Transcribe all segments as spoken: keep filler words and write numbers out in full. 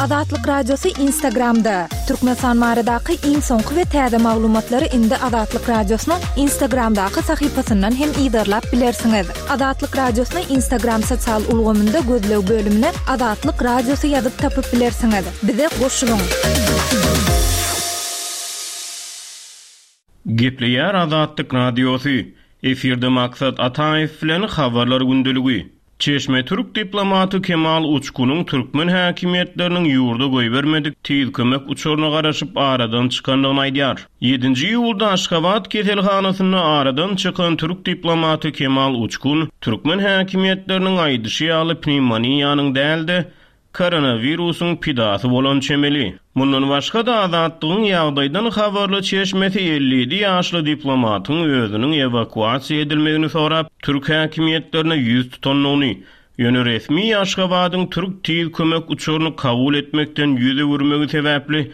Azatlyk Radiosy Instagramda. Türkmenistan baradaky iň soňky we täze maglumatlary indi Azatlyk Radiosynyň Instagramdaky sahypasyndan hem yzarlap bilersiňiz. Azatlyk Radiosyny Instagram sosial ulgamynda gözleg bölümine Azatlyk Radiosy ýazyp tapyp bilersiňiz. Bize goşulyň. Gepleýär Azatlyk Radiosy. Efirde Maksat Ataýew bilen Habarlar gündeligi. Çeşme türk diplomaty Kemal Uçkunyň türkmen häkimiýetleriniň ýurda goýbermedik tiz kömek uçaryna garaşyp aradan çykandygyny aýdýar. Ýedinji iýulda Aşgabat keselhanasynda aradan çykan türk diplomaty Kemal Uçkun türkmen häkimiýetleriniň aýdyşy ýaly pnewmoniýanyň däl-de, koronawirusyň pidasy bolan çemeli. Mundan başga-da Azatlygyň ýagdaýdan habarly çeşmesi elli ýedi ýaşly diplomatyň özüniň ewakuasiýa edilmegini sorap, türk häkimiýetlerine ýüz tutandygyny, ýöne resmi Aşgabadyň türk tiz kömek uçaryny kabul etmekden ýüz öwürmegi sebäpli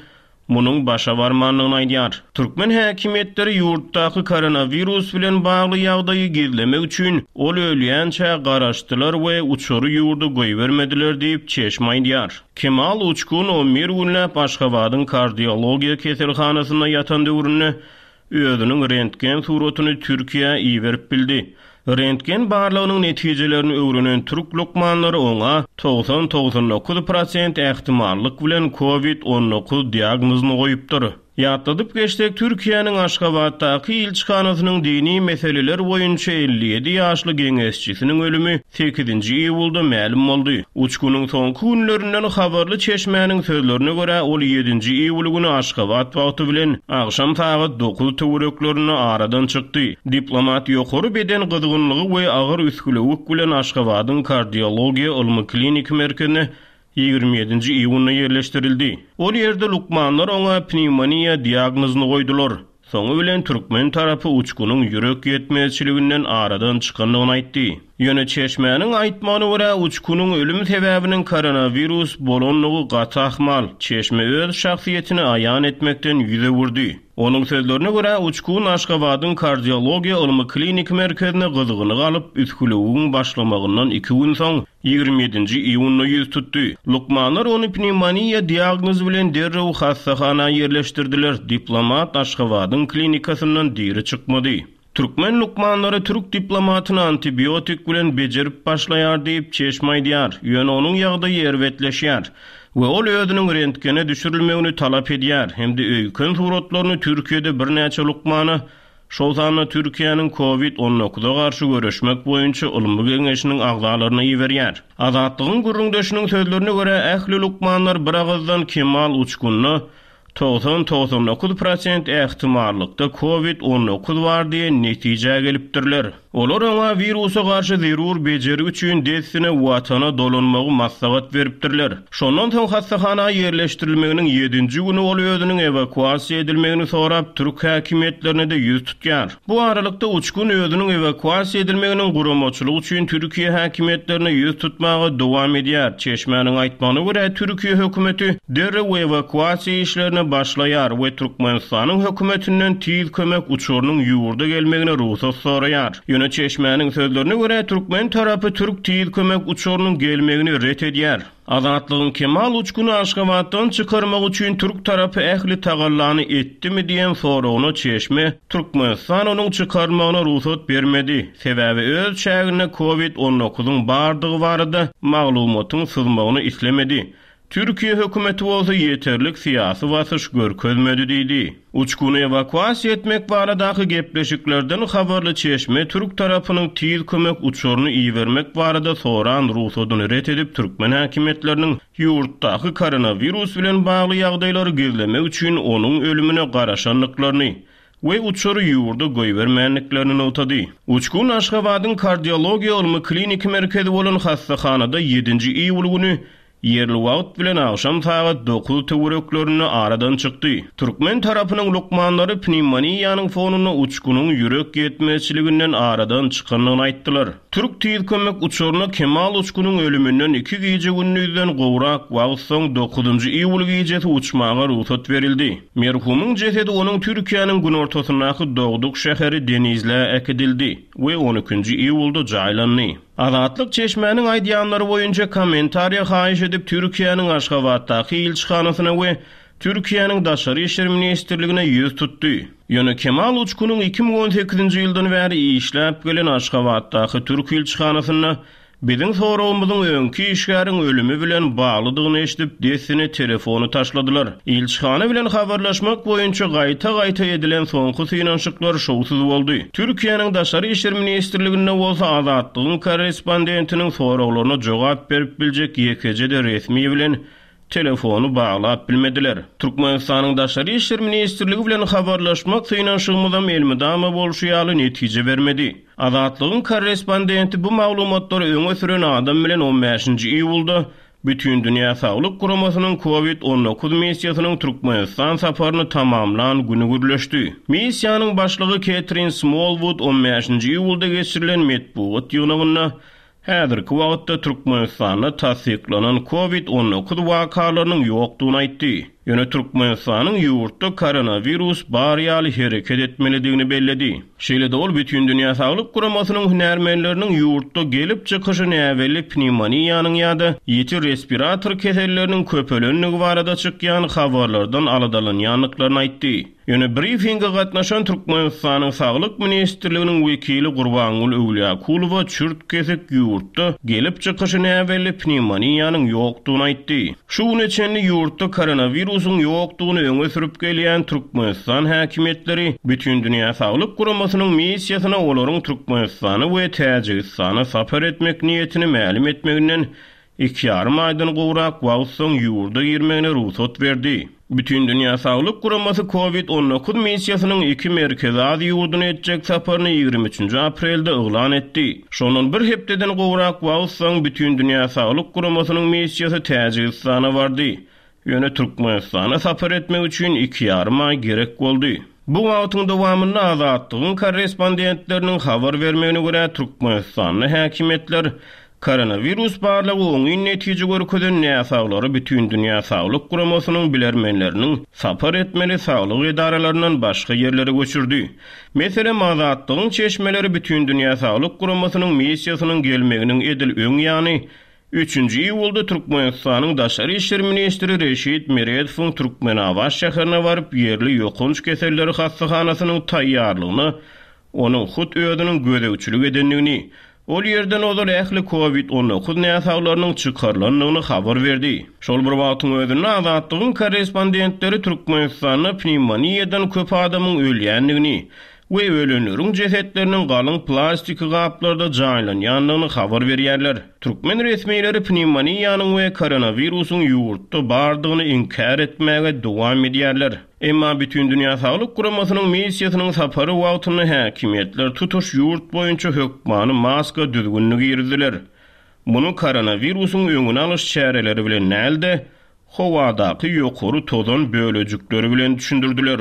munuň başa barmandygyny aýdýar. Türkmen häkimiýetleri ýurtdaky koronawirus bilen bagly ýagdaýy gizlemek üçin ol ölýänçä garaşdylar we uçary ýurda goýbermediler diýip, çeşme aýdýar. Kemal Uçkun on bir günläp Aşgabadyň kardiologiýa keselhanasynda ýatan döwründe özüniň rentgen suratyny Türkiýä iberip bildi. Rentgen barlagynyň netijelerini öwrenen türk lukmanlary oňa togsan-togsan dokuz prosent ähtimallyk bilen covid on dokuz diagnozyny goýupdyr. Ýatladyp geçsek, Türkiýäniň Aşgabatdaky ilçihanasynyň dini meseleler boýunça elli ýedi ýaşly geňeşçisiniň ölümi sekizinji iýulda mälim boldy. Uçkunyň soňky günlerinden habarly çeşmäniň sözlerine görä, ol ýedinji iýul güni Aşgabat wagty bilen agşam sagat dokuz töwereklerinde aradan çykdy. Diplomat ýokary beden gyzgynlygy we agyr üsgülewük bilen Aşgabadyň kardiologiýa ylmy-kliniki merkezine ýigrimi ýedinji iýunda ýerleşdirildi. Ol ýerde lukmanlar oňa pnewmoniýa diagnozyny goýdular. Soňy bilen türkmen tarapy uçkunyň ýürek ýetmezçiliginden aradan çykandygyny aýtdy. Ýöne çeşmäniň aýtmagyna görä, uçkunyň ölüm sebäbiniň koronawirus bolandygy gaty ahmal. Çeşme öz şahsyýetini aýan etmekden ýüz öwürdi. Onuň sözlerine görä, uçkun Aşgabadyň kardiologiýa ylmy-kliniki merkezine gyzgyny galyp, üsgülewügiň başlamagyndan iki gün soň, ýigrimi ýedinji iýunda ýüz tutdy. Lukmanlar ony pnewmoniýa diagnozy bilen derrew hassahana ýerleşdirdiler. Diplomat Aşgabadyň klinikasyndan diri çykmady. Türkmen lukmanlary türk diplomatyny antibiotik bilen bejerip başlaýar diýip, çeşme aýdýar. Ýöne onuň ýagdaýy erbetleşýär we ol özüniň rentgene düşürilmegini talap edýär hem-de öýken suratlaryny Türkiýede birnäçe lukmana, şol sanda Türkiýäniň covid on dokuza garşy göreşmek boýunça ylmy geňeşiniň agzalaryna iberýär. Azatlygyň gürrüňdeşiniň sözlerine görä, ähli lukmanlar bir agyzdan Kemal Uçkunda togsan-togsan dokuz prosent ähtimallykda covid on dokuz bar diýen netijä gelipdirler. Olar oňa wirusa garşy zerur bejergi üçin dessine watana dolanmagy maslahat beripdirler. Şondan soň hassahana ýerleşdirilmeginiň ýedinji güni ol özüniň ewakuasiýa edilmegini sorap, türk häkimiýetlerine-de ýüz tutýar. Bu aralykda Uçkun özüniň ewakuasiýa edilmeginiň guramaçylygy üçin Türkiýe häkimiýetlerine ýüz tutmaga dowam edýär. Çeşmäniň aýtmagyna görä, Türkiýe hökümeti derrew ewakuasiýa işlerine başlaýar we Türkmenistanyň hökümetinden tiz kömek uçarynyň ýurda gelmegine rugsat soraýar. Ýöne çeşmäniň sözlerine görä, türkmen tarapy türk tiz kömek uçarynyň gelmegini ret edýär. Azatlygyň Kemal Uçkuny Aşgabatdan çykarmak üçin türk tarapy ähli tagallany etdimi diýen soragyna çeşme Türkmenistan onuň çykarmagyna rugsat bermedi. Sebäbi öz çäginde covid on dokuzyň bardygy barada maglumatyň syzmagyny islemedi. Türkiýe hökümeti bolsa ýeterlik syýasy basyş görkezmedi diýdi. Uçkuny ewakuasiýa etmek baradaky gepleşiklerden habarly çeşme türk tarapynyň tiz kömek uçaryny ibermek barada soran rugsadyny ret edip, türkmen häkimiýetleriniň ýurtdaky koronawirus bilen bagly ýagdaýlary gizlemek üçin onuň ölümine garaşandyklaryny we uçary ýurda goýbermändiklerini nygtady. Uçkun Aşgabadyň kardiologiýa ylmy kliniki merkezi bolan hassahanada ýedinji iýul güni ýerli wagt bilen agşam sagat dokuz töwereklerinde aradan çykdy. Türkmen tarapynyň lukmanlary pnewmoniýanyň fonunda uçkunyň ýürek ýetmezçiliginden aradan çykandygyny aýtdylar. Türk tiz kömek uçaryna Kemal Uçkunyň ölüminden iki gije gündüzden gowrak wagt soň dokuzynjy iýul gijesi uçmaga rugsat berildi. Merhumyň jesedi onuň Türkiýäniň günortasyndaky dogduk şäheri Denizlä äkidildi we on ikinji iýulda jaýlandy. Azatlyk çeşmäniň aýdýanlary boýunça kommentariýa haýyş edip Türkiýäniň Aşgabatdaky ilçihanasyna we Türkiýäniň Daşary işler ministrligine ýüz tutdy. Ýöne Kemal Uçkunyň iki müň on sekizinji ýyldan bäri işläp gelen Aşgabatdaky türk ilçihanasynda biziň soragymyzyň öňki işgäriň ölümi bilen baglydygyny eşidip, dessine telefony taşladylar. Ilçihana bilen habarlaşmak boýunça gaýta-gaýta edilen soňky synanyşyklar şowsuz boldy. Türkiýäniň Daşary işler ministrliginde bolsa Azatlygyň korrespondentiniň soraglaryna jogap berip biljek ýekeje-de resmi bilen telefony baglap bilmediler. Türkmenistanyň Daşary işler ministrligi bilen habarlaşmak synanyşygymyzam elmydama bolşy ýaly netije bermedi. Azatlygyň korrespondenti bu maglumatlary öňe süren adam bilen on bäşinji iýulda Bütindünýä Saglyk Guramasynyň Covid on dokuz missiýasynyň Türkmenistan saparyny tamamlan güni gürleşdi. Missiýanyň başlygy Ketrin Smolwud on bäşinji iýulda geçirilen metbugat ýygnagynda häzirki wagtda Türkmenistanda tassyklanan Covid on dokuz wakalarynyň ýokdugyny aýtdy. Ýöne Türkmenistanyň ýurtda koronawirus bar ýaly hereket etmelidigini belledi. Şeýle-de ol Bütindünýä Saglyk Guramasynyň hünärmenleriniň ýurtda gelip çykyşy näbelli pnewmoniýanyň ýa-da ýiti respirator keselleriniň köpelendigi barada çykýan habarlardan aladalanýandyklaryny aýtdy. Ýöne brifinge gatnaşan Türkmenistanyň Saglyk ministrliginiň wekili Gurbangül Öwlýakulowa çürt kesik ýurtda gelip çykyşy näbelli pnewmoniýanyň ýokdugyny aýtdy. Şu güne çenli ýurtda koronawirusyň ýokdugyny öňe sürüp gelýän Türkmenistan häkimiýetleri Bütindünýä Saglyk Guramasynyň missiýasyna olaryň Türkmenistana we Täjigistana sapar etmek niýetini mälim etmeginden iki ýarym aýdan gowrak wagt soň ýurda girmegine rugsat berdi. Bütindünýä Saglyk Guramasy Covid on dokuz missiýasynyň iki Merkezi Aziýa ýurduny etjek saparyny ýigrimi üçünji aprelde yglan etdi. Şondan bir hepdeden gowrak wagt soň Bütindünýä Saglyk Guramasynyň missiýasy Täjigistana bardy. Ýöne Türkmenistana sapar etmek üçin iki ýarym aý gerek boldy. Bu wagtyň dowamynda Azatlygyň korrespondentleriniň habar bermegine görä Türkmenistanda häkimiýetler koronawirus barlagy oňyn netije görkezen näsaglary Bütindünýä Saglyk Guramasynyň bilermenleriniň sapar etmeli saglyk edaralaryndan başga ýerlere göçürdi. Meselem, Azatlygyň çeşmeleri Bütindünýä Saglyk Guramasynyň missiýasynyň gelmeginiň edil öň ýany üçünji iýulda Türkmenistanyň Daşary işler ministri Reşit Meredowyň Türkmenabat şäherine baryp ýerli ýokanç keselleri hassahanasynyň taýýarlygyna onuň hut özüniň gözegçilik edendigini, ol ýerden ozal ähli Covid on dokuz näsaglarynyň çykarylandygyny habar berdi. Şol bir wagtyň özünde Azatlygyň korrespondentleri Türkmenistanda pnewmoniýadan köp adamyň ölýändigini we ölenleriň jesetleriniň galyň plastiki gaplarda jaýlanýandygyny habar berýärler. Türkmen resmileri pnewmoniýanyň we koronawirusyň ýurtda bardygyny inkär etmäge dowam edýärler. Emma Bütindünýä Saglyk Guramasynyň missiýasynyň sapary wagtynda häkimiýetler tutuş ýurt boýunça hökmany maska düzgünini girizdiler. Muny koronawirusyň öňüni alyş çäreleri bilen däl-de, howadaky ýokary tozan bölejikleri bilen düşündirdiler.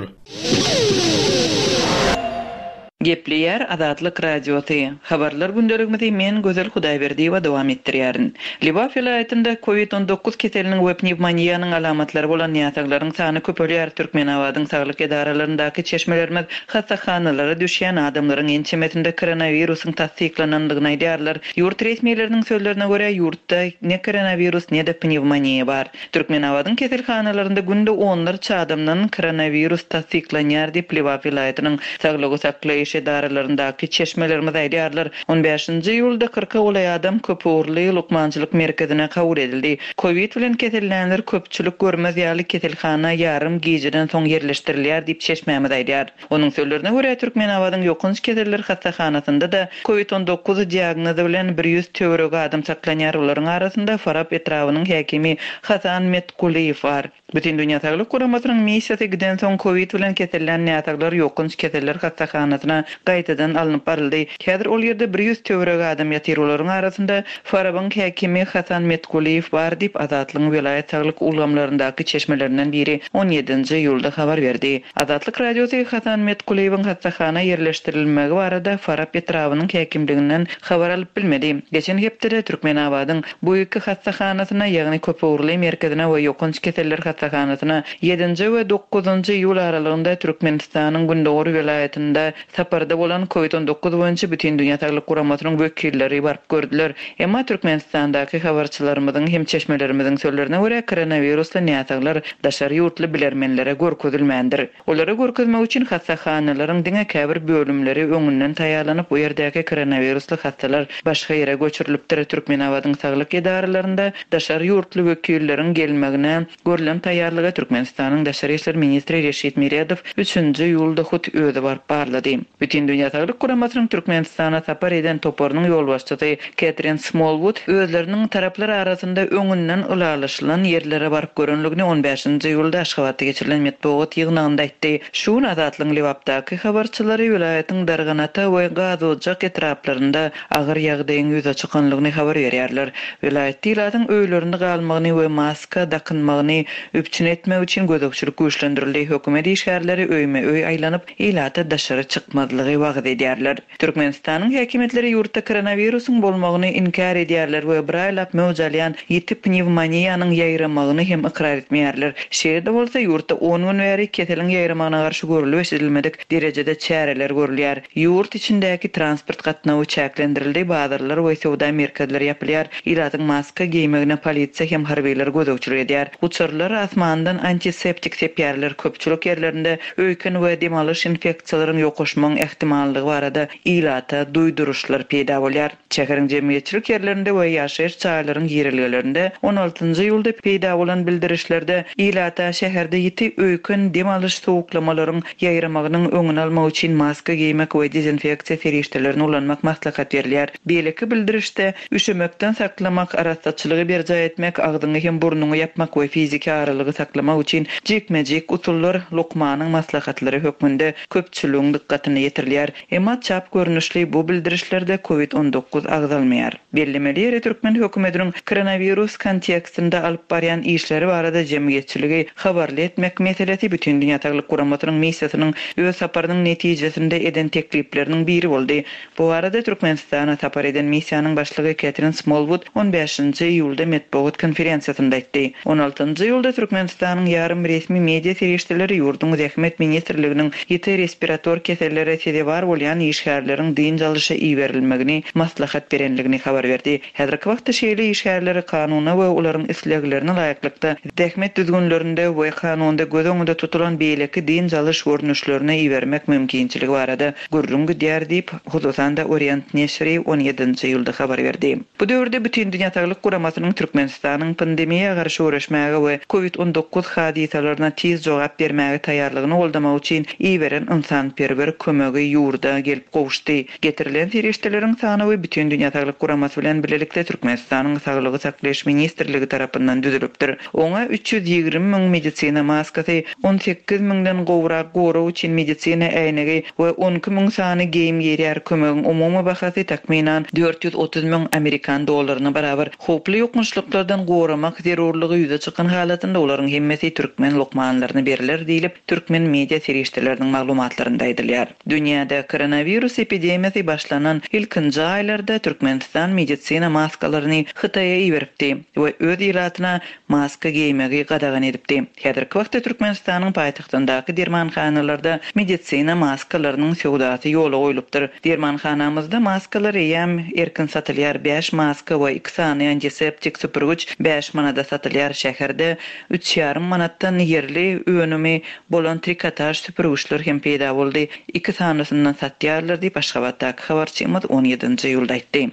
Gepleýär Azatlyk Radiosy. Habarlar gündeligimizi men Gözel Hudaýberdiýewa dowam etdirýärin. Lebap welaýatynda Covid on dokuz keseliniň we pnewmoniýanyň alamatlary bolan näsaglaryň sany köpelýär. Türkmenabadyň saglyk edaralaryndaky çeşmelerimiz hassahanalara düşýän adamlaryň ençemesinde koronawirusyň tassyklanandygyny aýdýarlar. Ýurt resmileriniň sözlerine görä ýurtda ne koronawirus ne de pnewmoniýa bar. Türkmenabadyň keselhanalarynda günde onlarça adamdan koronawirus tassyklanýar diýip Lebap welaýatynyň saglygy saklaýyş edaralaryndaky çeşmelerimiz aýdýarlar. On bäşinji iýulda kyrka golaý adam köpugurly lukmançylyk merkezine kabul edildi. Covid bilen kesellänler köpçülik görmez ýaly keselhana ýarym gijeden soň ýerleşdirilýär diýip çeşmämiz aýdýar. Onuň sözlerine görä Türkmenabadyň ýokanç keseller hassahanasynda da Covid on dokuz diagnozy bilen bir ýüz töweregi adam saklanýar. Olaryň arasynda Farap etrabynyň häkimi Hasan Metkuliýew bar. Bütindünýä Saglyk Guramasynyň missiýasy giden soň Covid bilen kesellän näsaglar ýokanç keseller hassahanasyna gaýtadan alnyp baryldy. Häzir ol ýerde bir ýüz töweregi adam ýatyr. Olaryň arasynda Farabyň häkimi Hasan Metkuliýew bar diýip Azatlygyň welaýat saglyk ulgamlaryndaky çeşmelerinden biri on ýedinji iýulda habar berdi. Azatlyk Radiosy Hasan Metkuliýewiň hassahana ýerleşdirilmegi barada Farap etrabynyň häkimliginden habar alyp bilmedi. Geçen hepdede Türkmenabadyň bu iki hassahanasyna, ýagny köpugurly merkezine we ýokanç keseller hassahanasyna ýedinji we dokuzynjy iýul aralygynda Türkmenistanyň Gündogar welaýatynda saparda bolan COVID on dokuz boýunça Bütindünýä Saglyk Guramasynyň wekilleri baryp gördüler. Emma Türkmenistandaky habarçylarymyzyň hem çeşmelerimiziň sözlerine görä koronawirusly näsaglar daşary ýurtly bilermenlere görkezilmändir. Olara görkezmek üçin hassahanalaryň diňe käbir bölümleri öňünden taýýarlanyp, bu ýerdäki koronawirusly hassalar başga ýere göçürilipdir. Türkmenabadyň saglyk edaralarynda daşary ýurtly wekilleriň gelmegine görülen taýýarlyga Türkmenistanyň Daşary işler ministri Reşit Meredow üçünji iýulda hut özi baryp barlady. Bütindünýä Saglyk Guramasynyň Türkmenistana sapar eden toparynyň ýolbaşçysy Ketrin Smallwood özleriniň taraplar arasynda öňünden ylalaşylan ýerlere baryp görenligini on bäşinji iýulda Aşgabatda geçirilen metbugat ýygnagynda aýtdy. Şu gün Azatlygyň Lebapdaky habarçylary welaýatyň Darganata we Gazojak etraplarynda agyr ýagdaýyň ýüze çykanlygyny habar berýärler. Welaýat ilatyň öýlerinde galmagyny we maska dakynmagyny üpjün etmek üçin gözegçilik güýçlendirildi. Hökümet işgärleri öýme öý aýlanyp, ilata daşary çykmazlygy wagyz edýärler. Türkmenistanyň häkimiýetleri ýurtda koronawirusyň bolmagyny inkär edýärler we bir aýlap möwç alýan ýiti pnewmoniýanyň ýaýramagyny hem ykrar etmeýärler. Şeýle-de bolsa ýurtda on gün bäri keseliň ýaýramagyna garşy görülip eşidilmedik derejede çäreler görülýär. Ýurt içindäki transport gatnawy çäklendirildi, bazarlar we söwda merkezleri ýapylýar. Ilatyň maska geýmegine polisiýa hem harbylar gözegçilik edýär. Uçarlar asmandan antiseptik sepýärler. Köpçülik ýerlerinde öýken we dem alyş infeksiýalaryň ýokaşmagyň ähtimallygy barada ilata duýduryşlar peýda bolýar. Şäheriň jemgyýetçilik ýerlerinde we ýaşaýyş jaýlaryň girelgelerinde on altynjy iýulda peýda bolan bildirişlerde ilata şäherde ýiti öýken dem alyş sowuklamalaryň ýaýramagynyň öňüni almak üçin maska geýmek we dezinfeksiýa serişdelerini ulanmak maslahat berilýär. Beýleki bildirişde üşemekden saklamak, arassaçylygy berjaý etmek, agzyňy hem burnuňy ýapmak we fiziki aralygy saklamak üçin jikme-jik usullar lukmanyň maslahatlary hökmünde köpçüligiň dykgatyna ýetirilýär. Emma çap görnüşli bu bildirişlerde COVID on dokuz agzalmaýar. Bellemeli ýeri Türkmen hökümetiniň koronawirus kontekstinde alyp barýan işleri barada jemgyýetçiligi habarly etmek meselesi Bütindünýä Saglyk Guramasynyň missiýasynyň öz saparynyň netijesinde eden teklipleriniň biri boldy. Bu arada Türkmenistana sapar eden missiýanyň başlygy Ketrin Smallwood on bäşinji iýulda metbugat konferensiýasynda aýtdy. On altynjy iýulda Türkmenistanyň ýarym resmi media serişdeleri ýurduň Zähmet ministrliginiň ýiti respirator kesellere sezewar bolýan işgärleriň dynç alyşa iberilmegini maslahat berenligini habar berdi. Häzirki wagtda şeýle işgärleri kanuna we olaryň isleglerine laýyklykda zähmet düzgünlerinde we kanunda göz öňünde tutulan beýleki dynç alyş görnüşlerine ibermek mümkinçiligi barada gürrüň gidýär diýip, hususan-da Orient neşiri on ýedinji iýulda habar berdi. Bu döwürde Bütindünýä Saglyk Guramasynyň Türkmenistanyň pandemiýa garşy göreşmäge we COVID on dokuz hadysalaryna tiz jogap bermäge taýýarlygyny goldamak üçin iberen ynsanperwer kömegi ýurda gelip gowuşdy. Getirilen serişdeleriň sanawy Bütindünýä Saglyk Guramasy bilen birlikde Türkmenistanyň Saglygy saklaýyş ministrligi tarapyndan düzülipdir. Oňa üç ýüz ýigrimi müň medisina maskasy, on sekiz müňden gowrak gorag üçin medisina äýnegi we on iki müň sany geýim girýär. Kömegiň umumy bahasy takmynan dört ýüz otuz müň amerikan dollaryna barabar. Howply ýokançlyklardan goramak zerurlygy ýüze çykan halatynda olaryň hemmesi türkmen lukmanlaryna beriler diýlip, türkmen media serişdeleriniň maglumatlarynda aýdylýar. Dünýäde koronawirus epidemiýasy başlanan ilkinji aýlarda Türkmenistan medisina maskalaryny Hytaýa iberipdi we öz ilatyna maska geýmegi gadagan edipdi. Häzirki wagtda Türkmenistanyň paýtagtyndaky dermanhanalarda medisina maskalarynyň söwdasy ýola goýlupdyr. Dermanhanamyzda maskalar eýýäm erkin satylýar. Bäş maska we iki sany antiseptik süpürgiç bäş manada satylýar. Şäherde üç ýarym manatdan ýerli önümi bolan trikotaž süpürgiçler hem peýda boldy. Iki sanysyndan satýarlar diýip Aşgabatdaky habarçymyz on ýedinji iýulda aýtdy.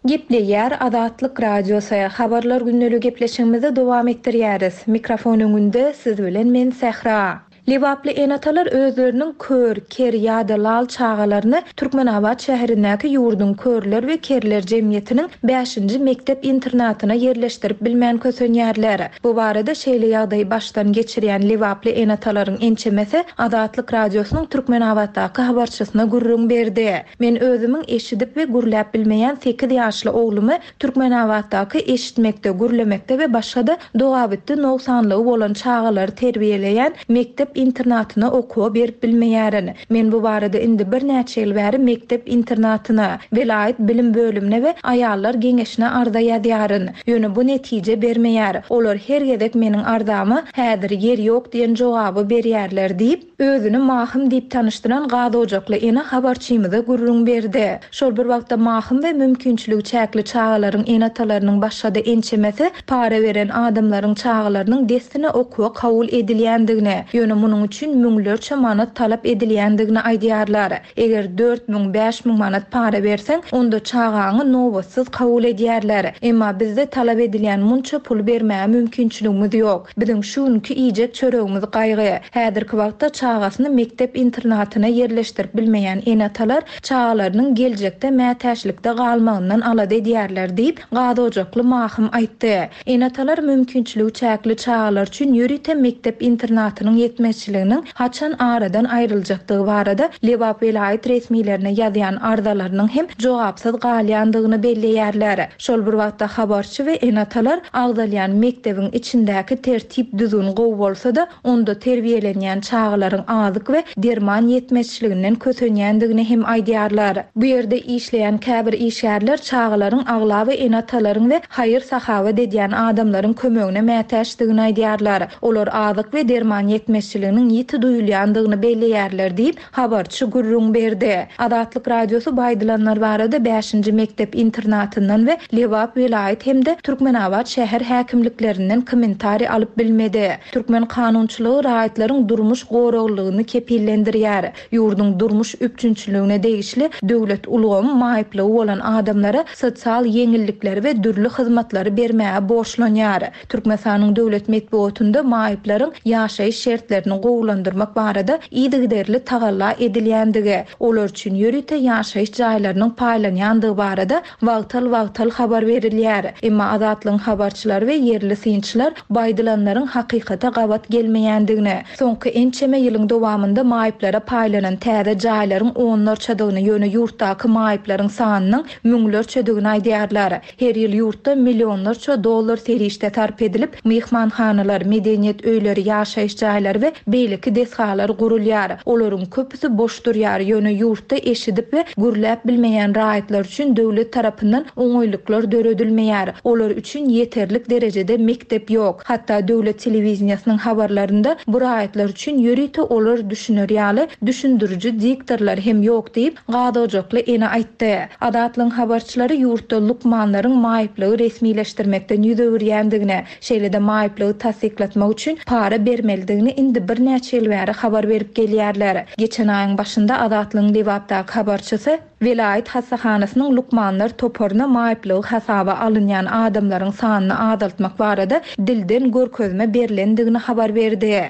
Gepleýär Azatlyk Radiosy. Habarlar günlügi gepleşigimizi dowam etdirýäris. Mikrofon öňünde siz bilen men Sähra. Lebaply ene-atalar özleriniň kör, ker ýa-da lal çagalaryny Türkmenabat şäherindäki ýurduň körler we kerler jemgyýetiniň bäşinji mekdep internatyna ýerleşdirip bilmän kösenýärler. Bu barada şeýle ýagdaýy başdan geçirýän Lebaply ene-atalaryň ençemesi Azatlyk Radiosynyň Türkmenabatdaky habarçysyna gürrüň berdi. Men özümiň eşidip we gürläp bilmeýän sekiz ýaşly oglumy Türkmenabatdaky eşitmekde, gürlemekde we başga-da dogabitdi nogsanlygy bolan çagalary terbiýeleýän mekdep mekdep-internatyna okuwa berip bilmeýärin. Men bu barada indi birnäçe ýyl bäri mekdep-internatyna, welaýat bilim bölümine we aýallar geňeşine arza ýazýaryn. Ýöne bu netije bermeýär. Olar her gezek meniň arzama häzir ýer ýok diýen jogaby berýärler diýip, özüni Mahym diýip tanyşdyran gazojakly ene habarçymyza gürrüň berdi. Şol bir wagtda Mahym we mümkinçiligi çäkli çagalaryň ene-atalarynyň başga-da ençemesi para beren adamlaryň çagalarynyň dessine okuwa kabul edilýändigini, ýöne munuň üçin müňlerçe manat talap edilýändigini aýdýarlar. Eger dört müň, bäş müň manat para berseň, onda çagaňy nobatsyz kabul edýärler. Emma bizde talap edilýän munça puly bermäge mümkinçiligimiz ýok. Biziň şu günki iýjek çöregimiz gaýgy. Häzirki wagtda çagasyny mekdep internatyna ýerleşdirip bilmeýän ene-atalar çagalarynyň geljekde mätäçlikde galmagyndan alada edýärler diýip, gazojakly Mahym aýtdy. Ene-atalar mümkinçiligi çäkli çagalar üçin ýörite mekdep internatynyň ýetmezçiliginiň haçan aradan aýryljakdygy barada Lebap welaýat resmilerine ýazýan arzalarynyň hem jogapsyz galýandygyny belleýärler. Şol bir wagtda habarçy we ene-atalar agzalýan mekdebiň içindäki tertip düzgün gowy bolsa-da, onda terbiýelenýän çagalaryň azyk we derman ýetmezçiliginden kösenýändigini hem aýdýarlar. Bu ýerde işleýän käbir işgärler çagalaryň aglaba ene-atalaryň we haýyr-sahawat edýän adamlaryň kömegine mätäçdigini aýdýarlar. Olar azyk we derman ýetmezçiliginiň ýiti duýulýandygyny belleýärler diýip, habarçy gürrüň berdi. Azatlyk Radiosy bu aýdylanlar barada bäşinji mekdep internatyndan we Lebap welaýat hem-de Türkmenabat şäher häkimliklerinden kommentariý alyp bilmedi. Türkmen kanunçylygy raýatlaryň durmuş goraglylygyny kepillendirýär. Ýurduň durmuş üpjünçiligine degişli döwlet ulgamy maýyplygy bolan adamlara sosial ýeňillikleri we dürli hyzmatlary bermäge borçlanýar. Türkmenistanyň döwlet metbugatynda maýyplaryň ýaşaýyş şertlerini gowulandyrmak barada yzygiderli tagalla edilýändigi, olar üçin ýörite ýaşaýyş jaýlarynyň paýlanýandygy barada wagtal-wagtal habar berilýär. Emma Azatlygyň habarçylary we ýerli synçylar bu aýdylanlaryň hakykata gabat gelmeýändigini, soňky ençeme ýylyň dowamynda maýyplara paýlanan täze jaýlaryň onlarçadygyny, ýöne ýurtdaky maýyplaryň sanynyň müňlerçedigini aýdýarlar. Her ýyl ýurtda millionlarça dollar serişde sarp edilip, myhmanhanalar, medeniýet öýleri, ýaşaýyş jaýlary we beýleki desgalar gurulýar. Olaryň köpüsi boş durýar, ýöne ýurtda eşidip we gürläp bilmeýän raýatlar üçin döwlet tarapyndan oňaýlyklar döredilmeýär. Olar üçin ýeterlik derejede mekdep ýok. Hatda döwlet telewizýasynyň habarlarynda bu raýatlar üçin ýörite olar düşüner ýaly düşündiriji diktorlar hem ýok diýip, gazojakly ene aýtdy. Azatlygyň habarçylary ýurtda lukmanlaryň maýyplygy resmileşdirmekden ýüz öwürýändigini, şeýle-de maýyplygy tassyklatmak üçin para bermelidigini indi birnäçe ýyl bäri habar berip gelýärler. Geçen aýyň başynda Azatlygyň Lebapdaky habarçysy welaýat hassahanasynyň lukmanlar toparyna maýyplygy hasaba alynýan adamlaryň sanyny azaltmak barada dilden görkezme berlendigini habar berdi.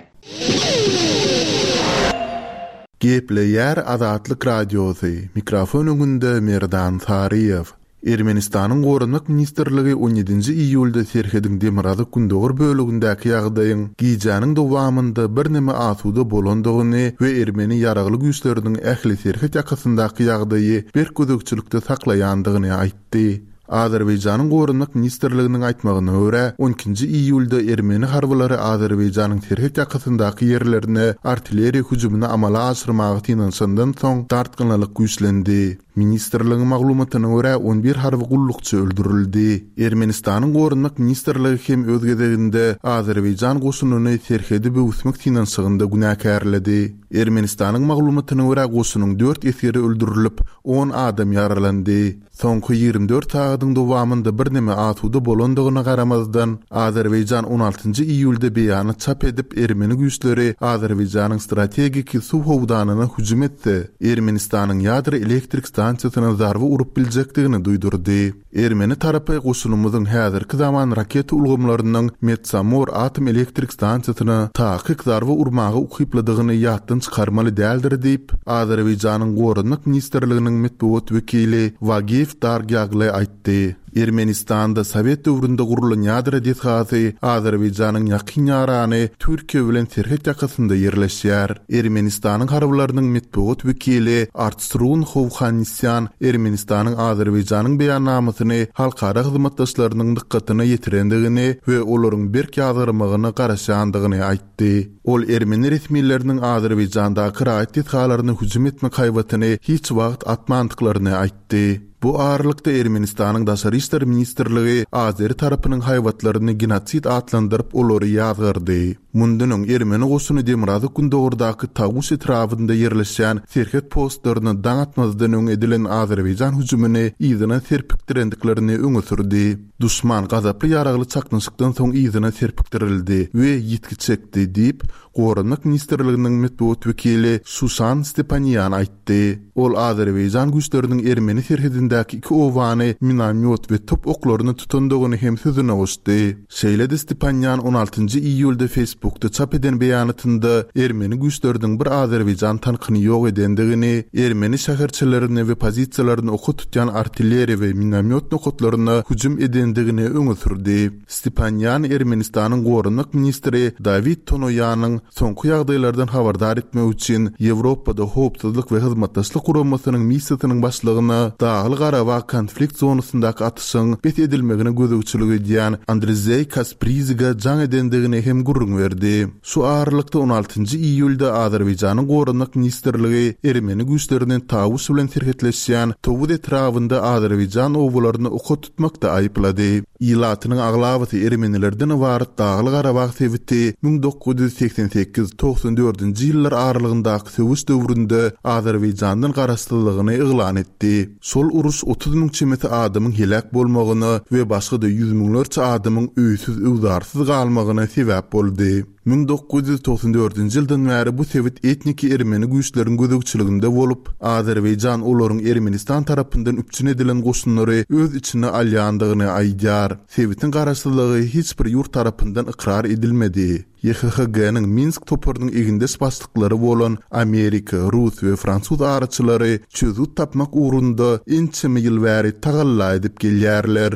Gepleýär Azatlyk Radiosy. Mikrofon öňünde Merdan Saryýew. Ermenistanyň Goranmak ministrligi on ýedinji iýulda serhediň demirgazyk gündogar bölügindäki ýagdaýyň gijäniň dowamynda birneme asuda bolandygyny we ermeni ýaragly güýçleriniň ähli serhet ýakasyndaky ýagdaýy berk gözegçilikde saklaýandygyny aýtdy. Azerbaýjanyň Goranmak ministrliginiň aýtmagyna görä, on ikinji iýulda ermeni harbylary Azerbaýjanyň serhet ýakasyndaky ýerlerine artilleriýa hüjümini amala aşyrmaga synanyşandan soň dartgynlyk güýçlendi. Ministrligiň maglumatyna görä, on bir harby gullukçy öldürildi. Ermenistanyň Goranmak ministrligi hem öz gezeginde Azerbaýjan goşunyny serhedi böwüsmek synanyşygynda günäkärledi. Ermenistanyň maglumatyna görä, goşunyň dört esgeri öldürilip, on adam ýaralandy. Soňky ýigrimi dört sagadyň dowamynda birneme asuda bolandygyna garamazdan, Azerbaýjan on altynjy iýulda beýanat çap edip, ermeni güýçleri Azerbaýjanyň strategik suw howdanyna hüjüm etse, Ermenistanyň ýadro elektrik stansiýasyna zarba urup biljekdigini duýdurdy. Ermeni tarapy goşunymyzyň häzirki zaman raketa ulgamlarynyň Metsamor atom elektrik stansiýasyna takyk zarba urmaga ukyplydygyny ýatdan çykarmaly däldir diýip, Azerbaýjanyň Goranmak ministrliginiň metbugat wekili Wagif Dargýagly aýtdy. Ermenistanda Sowet döwründe gurulan ýadro desgasy Azerbaýjanyň ýakyn ýarany Türkiýe bilen serhet ýakasynda ýerleşýär. Ermenistanyň harbylarynyň metbugat wekili Artsrun Hovhannisyan Ermenistanyň Azerbaýjanyň beýannamasyny halkara hyzmatdaşlarynyň dykgatyna ýetirendigini we olaryň berk ýazgarmagyna garaşýandygyny aýtdy. Ol ermeni resmileriniň Azerbaýjandaky raýat desgalaryna hüjüm etmek haýbatyny hiç wagt atmandyklaryny aýtdy. Bu aralykda Ermenistanyň Daşary işler ministrligi Azeri tarapynyň haýbatlaryny genosid atlandyryp olary ýazgardy. Mundan öň ermeni goşuny Demirgazyk Gündogurdaky Tawuş etrabynda ýerleşýän serhet postlaryna daň atmazdan öň edilen Azerbaýjan hüjümini yzyna serpikdirendiklerini öňe sürdi. Duşman gazaply ýaragly çaknyşykdan soň yzyna serpikdirildi we ýitgi çekdi diýip, Goranmak ministrliginiň metbugat wekili Şuşan Stepanýan aýtdy. Ol Azerbaýjan güýçleriniň ermeni serhedindäki iki owany minomyot we top oklaryny tutandygyny hem sözüne goşdy. Şeýle-de Stepanýan on altynjy iýulda Facebookda çap eden beýanatynda ermeni güýçleriniň bir Azerbaýjan tankyny ýok edendigini, ermeni şäherçelerini we pozisiýalaryny oka tutýan artilleriýa we minomyot nokatlaryna hüjüm edendigini öňe sürdi. Stepanýan Ermenistanyň goranmak ministri Dawid Tonoýanyň soňky ýagdaýlardan habardar etmek üçin Ýewropada howpsuzlyk we hyzmatdaşlyk guramasynyň missiýasynyň başlygyna Dagly Garabag konflikt zonasyndaky atyşyň bes edilmegine gözegçilik edýän Andrzej Kaspriziga jaň edendigini hem gürrüň berdi. Şu aralykda on altynjy iýulda Azerbaýjanyň goranmak ministrligi ermeni güýçleriniň Tawuş bilen serhetleşýän Towuz etrabynda Azerbaýjan obalaryny oka tutmakda aýyplady. Ilatynyň aglabasy ermenilerden ybarat Dagly Garabag sebiti müň dokuz ýüz seksen sekiz togsan dördünji ýyllar aralygyndaky söweş döwründe Azerbaýjandan garaşsyzlygyny yglan etdi. Şol uruş otuz müň çemesi adamyň heläk bolmagyna we başga-da ýüz müňlerçe adamyň öýsüz-öwzarsyz galmagyna sebäp boldy. müň dokuz ýüz togsan dördünji ýyldan bäri bu sebit etniki ermeni güýçleriň gözegçiliginde bolup, Azerbaýjan olaryň Ermenistan tarapyndan üpjün edilen goşunlary öz içine alýandygyny aýdýar. Sebitiň garaşsyzlygy hiç bir ýurt tarapyndan ykrar edilmedi. Y H H G-niň Minsk toparynyň egindeş başlyklary bolan Amerika, Rus we Fransuz araçylary çözgüt tapmak ugrunda ençeme ýyl bäri tagalla edip gelýärler.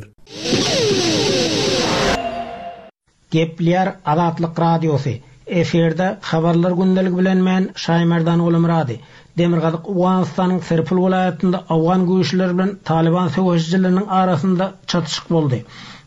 Gepleýär Azatlyk Radiosy. Efirde habarlar gündeligi bilen men Şaýmerdan Gulumyrady. Demirgazyk Owganystanyň Serpil welaýatynda Owgan güýçleri bilen Taliban söweşijileriniň arasynda çatyşyk boldy.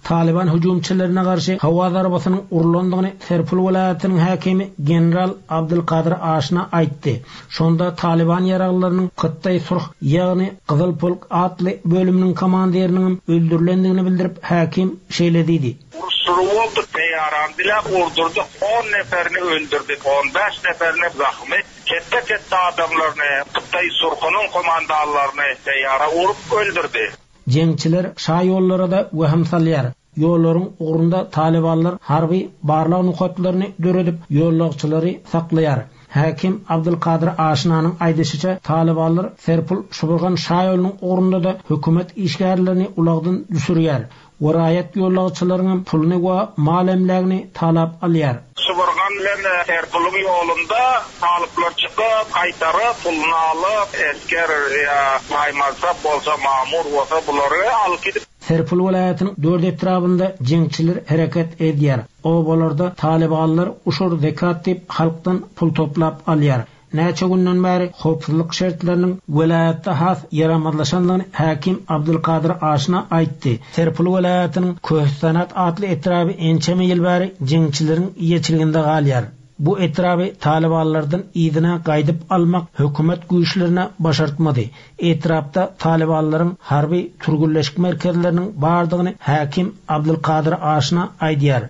Taliban hüjümçilerine garşy howa zarbasynyň urulandygyny Serpil welaýatynyň häkimi general Abdulkadir Aşna aýtdy. Şonda Taliban ýaraglylarynyň Hytaý Surh, ýagny Gyzyl Polk atly bölüminiň komandiriniň öldürilendigini bildirip, häkim şeýle diýdi. Uruşlary boldy, teýaran bile urdurdyk, on neferini öldürdük, on bäş neferini zahmet, ketde-ketde adamlaryny, Hytaý Surhunyň komandanlaryny teýara urup öldürdü. Jeňçiler şa ýollara da wehim salýar. Ýollaryň ugrunda Talibanlar harby barlag nokatlaryny döredip, ýollagçylary saklaýar. Häkim Abdulkadir Aşnanyň aýdyşyça Talibanlar Serpil Şuburgan şa ýolunyň ugrunda da hökümet işgärlerini ulagdan düşürýär. Waraýat ýollagçylaryň puluny we mal emlägini talap alýar. Şuburgan bilen Serpiliň ýolunda talyplar çykyp, gaýtaryp, puluny alyp, esker ýa maýmansap bolsa, mamur bolsa bulary alyp gidip Serpil welaýatynyň dört etrabynda jeňçiler hereket edýär. Obalarda Talibanlar uşur zekat diýip halkdan pul toplap alýar. Näçe günden bäri howpsuzlyk şertleriniň welaýatda has ýaramazlaşandygyny häkim Abdulkadir Aşna aýtdy. Serpil welaýatynyň Köhüstanat atly etraby ençeme ýyl bäri jeňçileriň eýeçiliginde galýar. Bu etraby Talibanlardan yzyna gaýdyp almak hökümet güýçlerine başartmady. Etrapda Talibanlaryň harby türgünleşik merkezleriniň bardygyny häkim Abdulkadir Aşna aýdýar.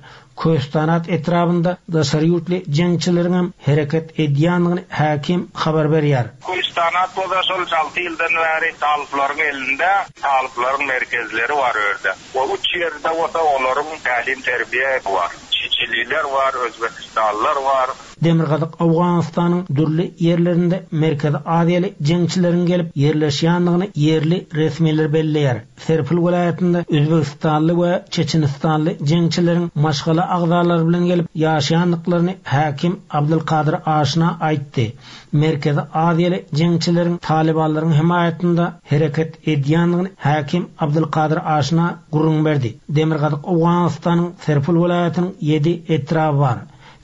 Köhüstanat etrabynda daşary ýurtly jeňçileriň hem hereket edýändigini häkim habar berýär. Köhüstanat bolsa şol alty ýyldan bäri talyplaryň elinde, talyplaryň merkezleri bar orada. O üç ýerde bolsa olaryň tälim terbiýe bar. Çiçililer bar, Özbekistanlylar bar. Demirgazyk Owganystanyň dürli ýerlerinde Merkezi Aziýaly jeňçileriň gelip ýerleşýändigini ýerli resmiler belleýär. Serpil welaýatynda Özbegistanly we Çeçenistanly jeňçileriň maşgala agzalary bilen gelip ýaşaýandyklaryny häkim Abdulkadyr Aşna aýtdy. Merkezi Aziýaly jeňçileriň Talybanlaryň hemaýatynda hereket edýändigini häkim Abdulkadyr Aşna gürrüň berdi. Demirgazyk Owganystanyň Serpil welaýatynyň ýedi etraby bar.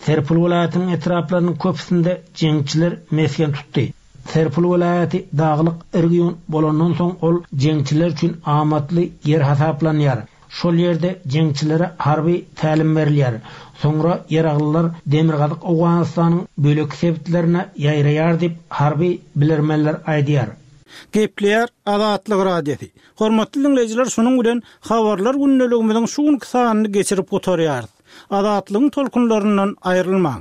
Serpil welaýatynyň etraplarynyň köpüsinde jeňçiler mesgen tutdy. Serpil welaýaty daglyk region bolandan soň ol jeňçiler üçin amatly ýer hasaplanýar. Şol ýerde jeňçilere harby tälim berilýär. Soňra ýaraglylar Demirgazyk Owganystanyň bölek sebitlerine ýaýraýar diýip harby bilermenler aýdýar. Gepleýär Azatlyk Radiosy. Hormatly diňleýjiler, şunuň bilen habarlar gündeligimiziň şu günki sanyny geçirip gutarýarys. Azatlygyň tolkunlaryndan aýrylmaň.